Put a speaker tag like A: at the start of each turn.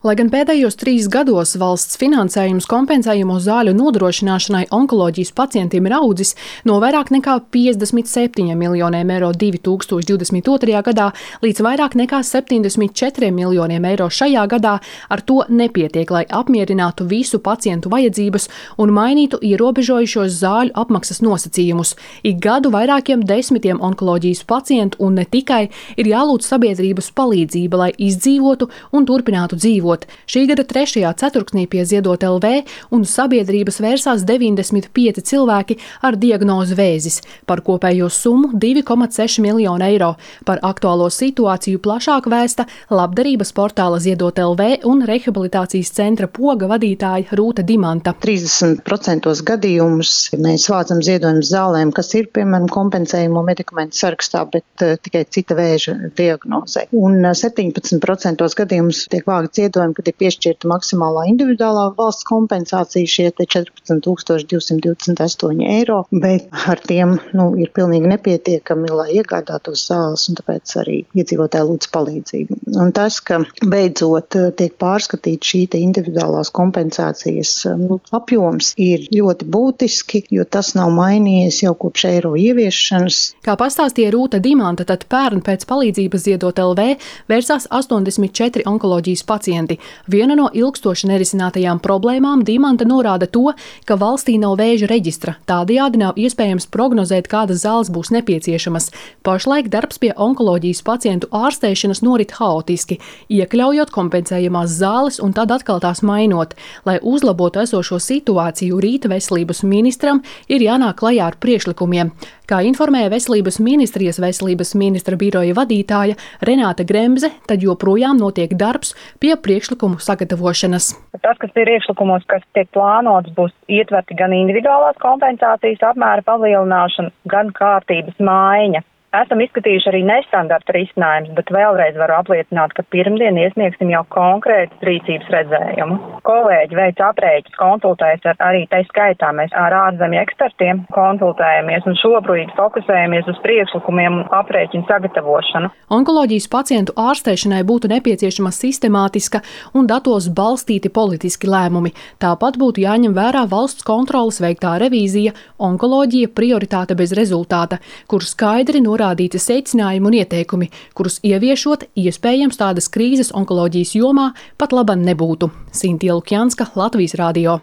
A: Lai gan pēdējos 3 gados valsts finansējums kompensējumu zāļu nodrošināšanai onkoloģijas pacientiem ir audzis no vairāk nekā 57 miljoniem eiro 2022. gadā līdz vairāk nekā 74 miljoniem eiro šajā gadā, ar to nepietiek, lai apmierinātu visu pacientu vajadzības un mainītu ierobežojušos zāļu apmaksas nosacījumus. Ik gadu vairākiem desmitiem onkoloģijas pacientu un ne tikai ir jālūdz sabiedrības palīdzība, lai izdzīvotu un turpinātu dzīvot. Šī gada 3. ceturksnī pie Ziedot LV un sabiedrības vērsās 95 cilvēki ar diagnozi vēzis, par kopējo summu 2,6 miljonu eiro. Par aktuālo situāciju plašāk vēsta labdarības portāla Ziedot LV un rehabilitācijas centra Poga vadītāja Rūta Dimanta.
B: 30% gadījumus mēs vācam ziedojumus zālēm, kas ir, piemēram, kompensējumu medikamentu sarakstā, bet tikai cita vēža diagnozē. Un 17% gadījumus tiek vākt ziedojumi, kad ir piešķirta maksimālā individuālā valsts kompensācija šie 14 228 eiro, bet ar tiem ir pilnīgi nepietiekami, lai iegādātos zāles, un tāpēc arī iedzīvotāji lūdz palīdzību. Un tas, ka beidzot tiek pārskatīt šī individuālās kompensācijas apjoms, ir ļoti būtiski, jo tas nav mainījies jau kopš eiro ieviešanas.
A: Kā pastāstīja Rūta Dimanta, tad pērn pēc palīdzības Ziedot LV vērsās 84 onkoloģijas pacienti. Viena no ilgstoši nerisinātajām problēmām Dimanta norāda to, ka valstī nav vēža reģistra. Tādējādi nav iespējams prognozēt, kādas zāles būs nepieciešamas. Pašlaik darbs pie onkoloģijas pacientu ārstēšanas norit haotiski, iekļaujot kompensējamās zāles un tad atkal tās mainot. Lai uzlabotu esošo situāciju, rīta veselības ministram ir jānāk klajā ar priekšlikumiem. Kā informēja Veselības ministrijas veselības ministra biroja vadītāja Renāte Gremze, tad joprojām notiek darbs pie priekšlikumu sagatavošanas.
C: Tas, kas ir priekšlikumos, kas tiek plānots, būs ietverti gan individuālās kompensācijas apmēra palielināšana, gan kārtības maiņa. Esam izskatījuši arī nestandarta risinājumus, bet vēlreiz varu apliecināt, ka pirmdien iesniegsim jau konkrētu rīcības redzējumu. Kolēģi veic aprēķinus, konsultējas arī tai skaitā. Mēs ar ārzemju ekspertiem konsultējamies un šobrīd fokusējamies uz priekšlikumiem un aprēķinu sagatavošanu.
A: Onkoloģijas pacientu ārstēšanai būtu nepieciešama sistemātiska un datos balstīti politiski lēmumi. Tāpat būtu jāņem vērā valsts kontroles veiktā revīzija Onkoloģija prioritāte bez rezultāta, kur skaidri norādīti secinājumi un ieteikumi, kurus ieviešot, iespējams tādas krīzes onkoloģijas jomā pat laban nebūtu. Sintīja Lukjanska, Latvijas radio.